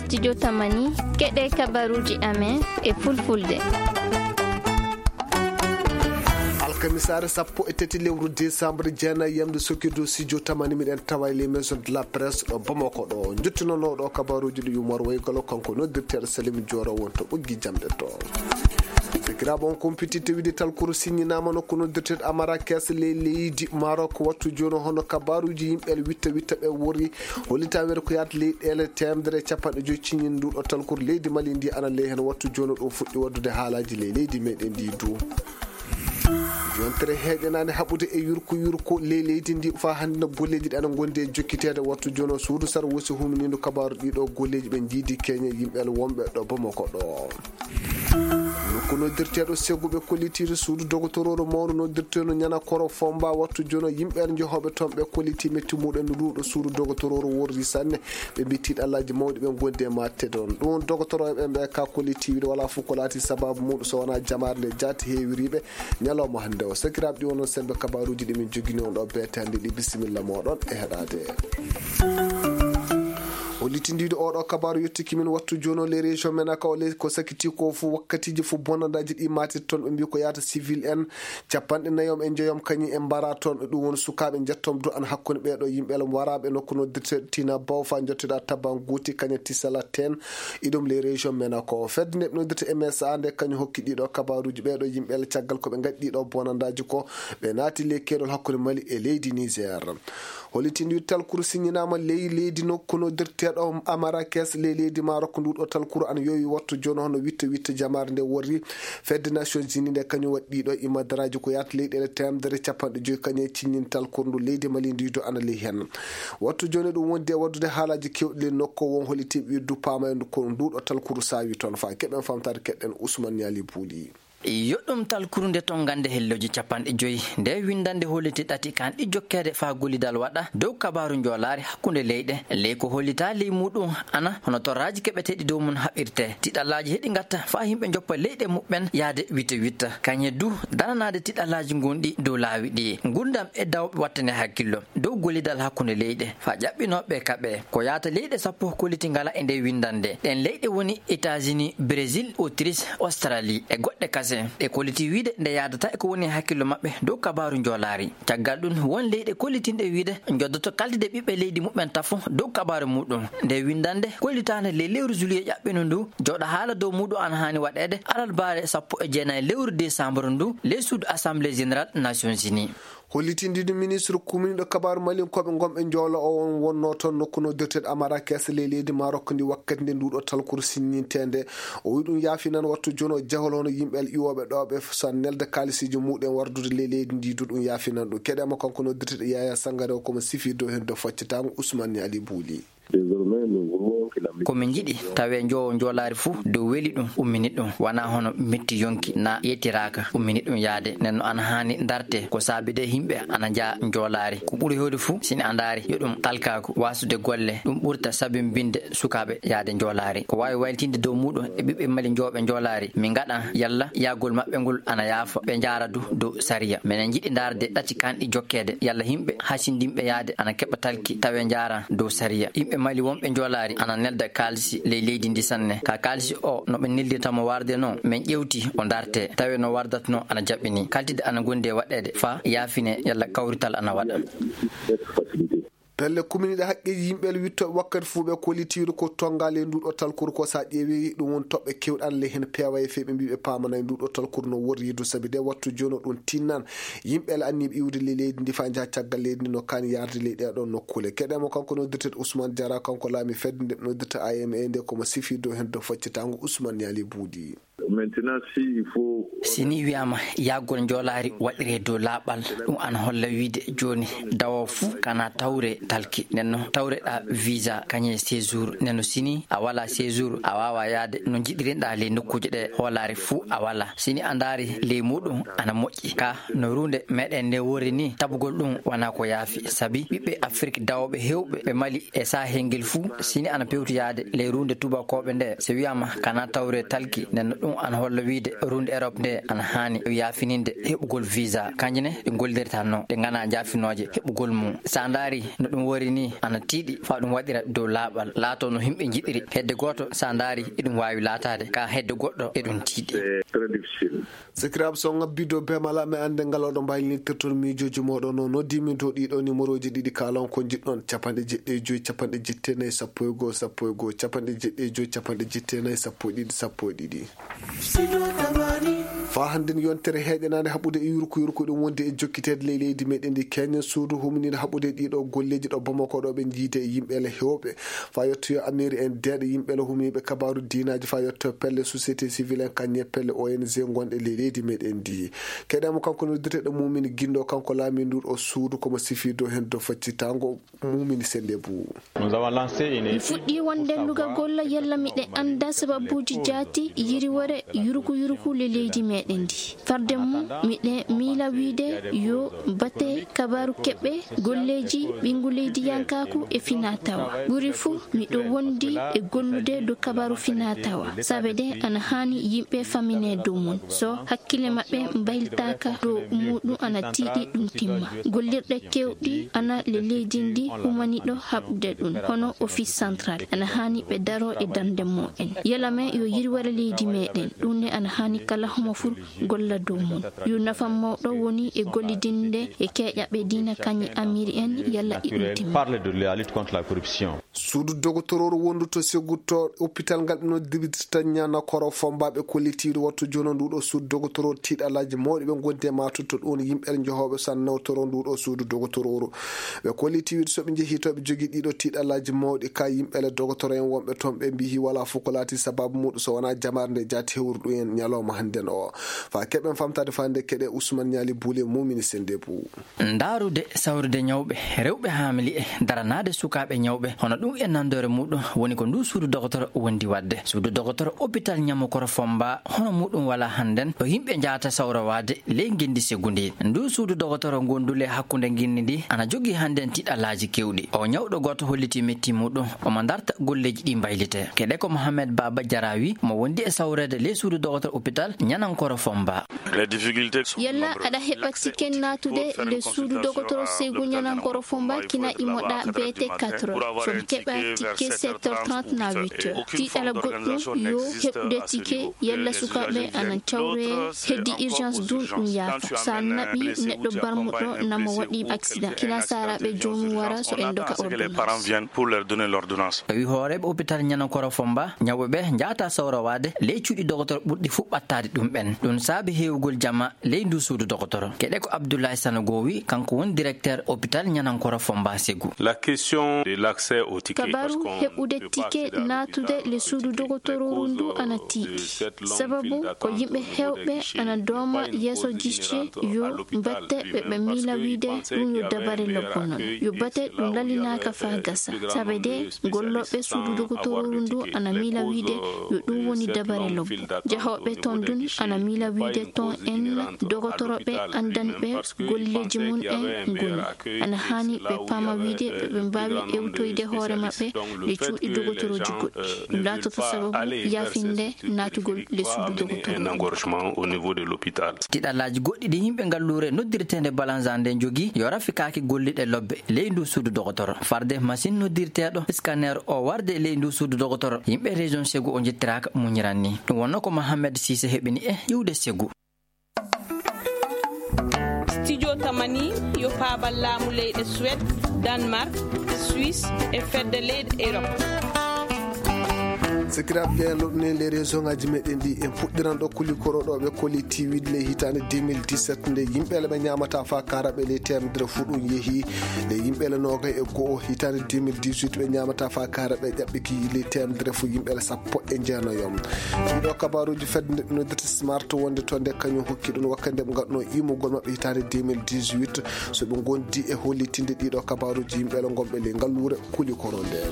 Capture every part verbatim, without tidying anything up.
Studio Tamani, keɗe kabaruuji amen e fulfulde. Alkamisaare sappo e tati lewru desambre, jeenayi yamde sokirdu studio Tamani, miɗen tawa e les maisons de la presse ɗo Bamako ɗo. Njottinanooɗo kabaruuji ɗi Umar Waygalo, kanko noddirteeɗo Salim Jooro, won to ɓoggi jamɗe to. Sakiraaɓe, on kumpiti tewidi talkuru siññinaama nokku noddirteeɗo Amarakes ley leydi Marok. Wattu jooni, hono kabaruuji yimɓe el witta witta ɓe wori, hollitaweere ko yaata leyɗeele teemedere e capanɗe joy ciñin nduɗo talkuru leydi Mali ndi ana ley hen. Wattu jooni ɗum fuɗɗi waddude haalaaji ley leydi meɗen ndi du. Yontere heeƴanaande haɓude e yurko yurko ley leydi ndi faa hannde no golleeji ɗi ana ngondi e jokkiteede. Wattu jooni, suudu sar wosi huminiidu kabaaru ɗiɗo golleeji ɓe njiidi keñe yimɓe el wonɓe ɗo Bamako ɗo. Nokku noddirteeɗo seguɓe kollitiiɗo suudu dogotorooro mawnu noddirteeɗo Ñanakoro Fomba. Wattu jooni, yimɓe en njehooɓe toon ɓe kollitii metti muɗen no ɗuuɗo suudu dogotorooro worri sanne. Ɓe mbii tiiɗallaaji mawɗi ɓe ngondi e matte ɗoon. Ɗum dogotorooɓe ɓe ka kollitiiɗo walaa fof ko laati sabaabu muɗum so wonaa jamaare nde jaati heewiriiɓe ñalawma hannde o. Sakiraaɓe, ɗi wonno sembe kabaruuji ɗi min jogini on ɗo beetandi ɗi. Bisimilla mooɗon e heɗaade. Hollitindiiɗo oɗo kabaru yettiki min. Wattu jooni, les régions menaka o ley ko sakiti ko fof wakkatiiji fof bonandaaji ɗi maati toon. Ɓe mbii ko yaata civil en capanɗe nayom e njoyom kañum en mbara toon. Ɗum woni sukaaɓe njettom du an hakkunde ɓeeɗo yimɓe el waraaɓe nokku noddirteeɗo Tina Baw faa njottiɗa Tabanguti kaña Tisala ten. Iɗum les régions menaka o fedde nde ɓe noddirta M S A nde kañum hokki ɗiɗo kabaruuji ɓeeɗo yimɓe el caggal ko ɓe ngaɗi ɗiɗo bonandaaji ko ɓe naati ley keerol hakkunde Mali e leydi Niger. Hollitindiiɗo talkuru siññinaama ley leydi nokku noddirteeɗo Amarakes ley leydi Marok. Nduɗo talkuru ana yowi wattu jooni hono witta witta jamaare nde worri. Fedde Nations Unies nde kañum waɗi ɗiɗo imadaraaji ko yaata leyɗeele teemedere capanɗe joy kañum e ciññin talkuru ndu leydi Mali ndi du ana ley hen. Wattu jooni ɗum wondi e waddude haalaaji kewɗi ley nokku o won hollitinɓe ɓe du paama en ko nduɗo talkuru saawi toon faa keɓen famtaade keɗɗen Ousmane Niali Bouli. Yo ɗum talkuru nde to ngannde hellooji capanɗe joy. Nde winndannde holliti ɗati kanɗi jokkeede faa gollidal waɗa dow kabaaru njoolaari hakkunde leyɗe. Ley ko hollitaa ley muuɗum ana hono torraaji keɓeteeɗi dow mum haɓirtee. Tiɗallaaji heɗi ngatta faa yimɓe njoppa leyɗe muɓɓen yahde witta witta. Kañe du dananaade tiɗallaaji ngonɗi dow laawi ɗi. Ngurndan e dawɓe wattane hakkillo dow gollidal hakkunde leyɗe faa ƴaɓɓinooɓe kaɓe. Ko yaata leyɗe sappo kolliti ngala e nde winndannde. Ɗen leyɗe woni États-Unis, Brésil, Autriche, Australie e goɗɗe kasen. Ɗe kolliti wiide nde yaadataa e ko woni e hakkillo maɓɓe dow kabaaru njoolaari. Caggal ɗum, won leyɗe kollitinɗe wiide njoddoto kaltide ɓiɓɓe leydi muɓɓen tafo dow kabaaru muɗum. Nde winndannde kollitaande ley lewru juillet ƴaɓɓindu ndu, jooɗa haala dow muɗum ana haani waɗeede alarbaare sappo e jeenayi lewru décembre ndu ley suudu Assemblée Générale Nations Unies. Hollitindiiɗo ministre kuminiiɗo kabaaru malinkooɓe ngonɓe njoolo o won wonnoo toon nokku noddirteeɗo Amarakes ley leydi Marok ndi wakkati nde nduɗo talkuru sinninteende. O wi ɗum yaafinan wattu jooni o jahol hono yimɓe el iwooɓe ɗo ɓe so nelde kaalisiiji muɗum wardude ley leydi ndi du ɗum yaafinan ɗum. Keɗe mo kanko noddirteeɗo Yaya Sangare o komo sifi dow hen dow faccitaango Ousmane Ali Bouli. Ko min njiɗi tawee njoowo njoolaari fuu dow weli ɗum ummini ɗum, wanaa hono metti yonki na yettiraaka ummini ɗum yaade. Nden no ana haani ndartee ko saabi de yimɓe ana njaha njoolaari. Ko ɓuri heewde fuu sini a ndaari yo ɗum alkaaku waasude golle ɗum ɓurta sabimbinde sukaaɓe yaade njoolaari. Ko waawi waylitinde dow muuɗum e ɓiɓɓe Mali njooɓe njoolaari mi ngaɗan yalla yahgol maɓɓe ngol ana yaafa ɓe njaara du dow sariya. Minen njiɗi ndaarde ɗati kanɗi jokkeede yalla yimɓe hasindinɓe yaade ana keɓa talki tawee njaaran dow sariya. Yimɓe Mali wonɓe njoolaari ana nelda kaalisi ley leydi ndi sanne. Ka kaalisi o no ɓe neldinta mo warde non min ƴeewti o ndartee tawee no wardata non ana jaɓɓini kaltide ana gondi e waɗeede faa yaafine yalla kawrital ana waɗa. Pelle kuminiiɗe haqqeeji yimɓe el wittooɓe wakkati fuu ɓe kollitiiru ko tonngaa ley nduɗo talkuru ko so a ƴeewi ɗum woni toɓɓe keewɗe ana ley heen peewaye fee ɓe mbii ɓe paamanay nduɗo talkuru no worri du sabi de wattu jooni o ɗum tinnan yimɓe el anniiɓe iwde ley leydi ndi faa njaha caggal leydi ndi no kaani yaarde ley ɗee ɗoon nokkuule. Keɗee mo kanko noddirteeɗo Ousmane Diarra kanko laami fedde nde noddirta A M E nde komo sifi dow heen dow faccitaango Ousmane Niali Bouli. Sini wiyaama yahgol njoolaari waɗiree dow laaɓal ɗum ana holla wiide jooni dawo fuu kana tawre talki nenno tawreɗaa visa kañe séjour nenno sini a walaa séjour a waawaa yaade no njiɗirinɗaa ley nokkuuje ɗe hoolaare fuu a walaa sini a ndaari ley muuɗum ana moƴƴi ka no ruunde meɗen nde wori ni tabugol ɗum wanaa ko yaafi sabi ɓiɓɓe afrik dawooɓe heewɓe ɓe mali e saahel ngel fuu sini ana pewti yaade ley ruunde tubakooɓe nde so wiyaama kana tawre talki nenno ɗum ana holla wiide ruunde erop nde ana haani yaafininde heɓugol visa kanje ne ɗe ngollirtanno ɗe nganaa njaafinooje heɓugol mum so a ndaari no Ɗum wori nii ana tiiɗi faa ɗum waɗira dow laaɓal, laatoo no yimɓe njiɗiri. Hedde gooto, so a ndaari, eɗum waawi laataade, kaa hedde goɗɗo, eɗum tiiɗi. Sakiraaɓe, so on ŋabbii dow beemal am, mi annde ngal oɗon mbaawi lintirton miijooji mooɗon. On noddii min dow ɗii ɗoo nimerooji ɗiɗi, kaalon ko njiɗɗon: capanɗe jeɗɗi e joy, capanɗe jetti e nay, sappo e goo, sappo e goo, capanɗe jeɗɗi e joy, capanɗe jetti e nay, sappo e ɗiɗi, sappo e ɗiɗi. Faa hannden yontere heeƴanaande haɓude e yurku yurku ɗum wondi e jokkiteede ley leydi meɗen ndi Kenya, suudu huminiiɗo haɓude ɗii ɗoo golleeji ɗo Bamako ɗo ɓe njiide e yimɓe le heewɓe. Faa yottoyo Amiri en deeɗo yimɓe le humiiɓe kabaaru diinaaji, faa yottoyo pelle société civile en, kañum e pelle O N G ngonɗe ley leydi meɗen ndi. Keɗen mo kanko noddirteeɗo Mumini Gindo, kanko laamiiɗo nduu ɗoo suudu, ko mo sifii dow heen dow faccitaango. Mumini Sennde Buu. Mi fuɗɗii wonde lugagol yalla miɗe annda sababuuji jaati yiriwere yuruku yuruku ley leydi meɗen ndi. Farde mum, miɗe miila wiide yo bate kabaaru keɓɓe golleeji ɓinngu leydiyankaaku e finaa tawaa. Ɓuri fuu, miɗo wondi e gollude dow kabaaru finaa tawaa. Saabe de ana haani yimɓe faminee dow mum. So hakkille maɓɓe mbayltaaka dow muuɗum, ana tiiɗi ɗum timma. Gollirɗe keewɗi ana ley leydi ndi humaniiɗo haɓude ɗum, hono Office Central. Ana haani ɓe daroo e darnde mumen. Yalla men yo yirwere leydi meɗen. Ɗum ne ana haani kala homo fuu golla dow mum. Yo nafa mawɗo woni e gollidinde e keeƴaɓe diina kañum e Amiri en, yalla iɗum timma. Suudu dogotorooru wondu to Segu to oppital ngal ɓe noddirta Ñanakoro Fomba ɓe kolliti wiide wattu jooni nduu ɗoo suudu dogotorooru tiiɗalaaji mawɗi ɓe ngondi e maatude to ɗum yimɓe njahooɓe so ana nawtoroo nduu ɗoo suudu dogotorooru. Ɓe kolliti wiide so ɓe njehii to ɓe jogii ɗii ɗoo tiiɗalaaji mawɗi ka yimɓe le dogotoro en wonɓe toon ɓe mbiyi walaa fof ko laati sababu muuɗum so wanaa jamaare nde jaati hewruɗo en ñalawma hannden oo. Faa keɓen famtaade faa nde keɗe Usman Ñaali Buule Mumini Sennde Buu. Ndaarude sawrude ñawɓe, rewɓe haamili'e, daranaade sukaaɓe ñawɓe, hono ɗum e nanndoore muuɗum woni ko nduu suudu dogotoro wondi waɗde. Suudu dogotoro oppital Ñamokoro Fomba, hono muuɗum walaa hannden, ɗo yimɓe njahata sawrowaade ley ngenndi Segu ndi. Nduu suudu dogotoro ngondu ley hakkunde ngenndi ndi ana jogii hannden tiiɗalaaji keewɗi. Oo ñawɗo gooto hollitii metti muuɗum, omo ndarta golleeji ɗi mbaylitee. Keɗe ko Mohamed Baaba Jaraawi, mo wondi e sawreede ley suudu dogotoro oppital Ñanankoro Fomba. Yalla aɗa heɓa tike naatude le suudu dogotoro Segu Ñanankoro Fomba kina imoɗa B T quatre heures. Fom keɓa tike sept heures trente na huit heures. Tiiɗala goɗɗum yo heɓude tike, yalla sukaaɓe ana cawree, heddi urgence dun ɗum yaafa. So a naɓi neɗɗo barmuɗo namo waɗi accident, kina saaraaɓe joomum wara so en doka ordonnance. Tawi hooreeɓe oppital Ñanankoro Fomba, ñawɓe ɓe njahata sawrowaade ley cuuɗi dogotoro ɓurɗi fuu ɓattaade ɗum ɓen. Ɗum saabi heewugol jama ley nduu suudu dogotoro. Keɗe ko Abdullahi Sanogo wi, kanko woni directeur oppital Ñanankoro Fomba Segu. Kabaaru heɓude tike naatude le suudu dogotorooru ndu ana tiiɗi. Sababu ko yimɓe heewɓe ana dooma yeeso jiste yo batte ɓe, ɓe miila wiide ɗum yo dabare lobbo non. Yo batte ɗum lallinaaka faa gasa. Saabe de gollooɓe suudu dogotorooru ndu ana miila wiide yo ɗum woni dabare lobbo. Jahooɓe toon dun ana miila wiide toon en dogotorooɓe anndanɓe golleeji mum en ngoni. Ana haani ɓe paama wiide ɓe, ɓe mbaawi ewtoyde hoore maɓɓe le cuuɗi dogotorooji goɗɗi. Ɗum laatoto sababu yaafinde naatugol le suudu dogotoro. Tiiɗalaaji goɗɗi ɗi yimɓe ngalluure noddirteende Balanza nde njogii yo rafikaaki golliɗe lobbe ley nduu suudu dogotoro. Farde masin noddirteeɗo scanner o warde ley nduu suudu dogotoro, yimɓe région Segu o njettiraaka muñiran ni. Ɗum wonno ko Mohamed Sise heɓini e iwde Segu. Studio Tamani yo paabal laamu leyɗe Suède, Danemark, Suisse e fedde leyɗe Europe. Sakiraaɓe, ƴeewen loɗɗunen ley région ŋaaji meɗen ɗi. En puɗɗiran ɗo Kulikoro ɗo ɓe kolliti wiide ley hitaande deux mille dix-sept nde yimɓe le ɓe ñaamata faa kaara ɓe ley teemedere fuu ɗum yehi ley yimɓe le noogay e go'o. Hitaande deux mille dix-huit ɓe ñaamata faa kaara ɓe ƴaɓɓiki ley teemedere fuu yimɓe le sappo e jeenayo. Ɗiɗo kabaaruuji fedde nde ɓe noddirta Smart wonde to nde kañum hokki ɗum wakkati nde ɓe ngaɗunoo immugol maɓɓe hitaande deux mille dix-huit. So ɓe ngondi e hollitinde ɗiɗo kabaaruuji yimɓe le ngonɓe ley ngalluure Kulikoro nde.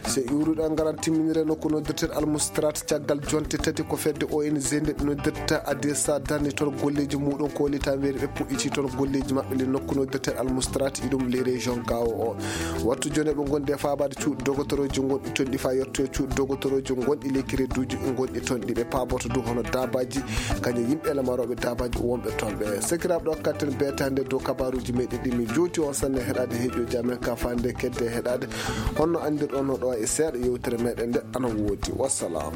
So iwruɗo en ngaran timminire nokku no Noddirteeɗo Almustarat caggal jonte tati ko fedde O N G nde ɓe noddirta Adesa darni toon golleeji muuɗum ko woni tan weeri ɓe puɗɗiti toon golleeji maɓɓe le nokku noddirteeɗo Almustarat iɗum le région Gao o. Wattu joni ɓe ngondi e faabaade cuuɗi dogotorooji gonɗi toon ɗi faa yetto cuuɗi dogotorooji gonɗi le kireduuji gonɗi toon ɗi ɓe paaboto du hono daabaaji kañum yimɓe le marooɓe daabaaji wonɓe toon ɓe. Sakiraaɓe ɗo katten beetaande dow kabaaruuji meɗen ɗi mi jooti on sanne heɗaade heeƴooji amen ka faande kedde heɗaade. Honno anndirɗon no ɗo e seeɗa yewtere meɗen nde ana woodi. Wassalam.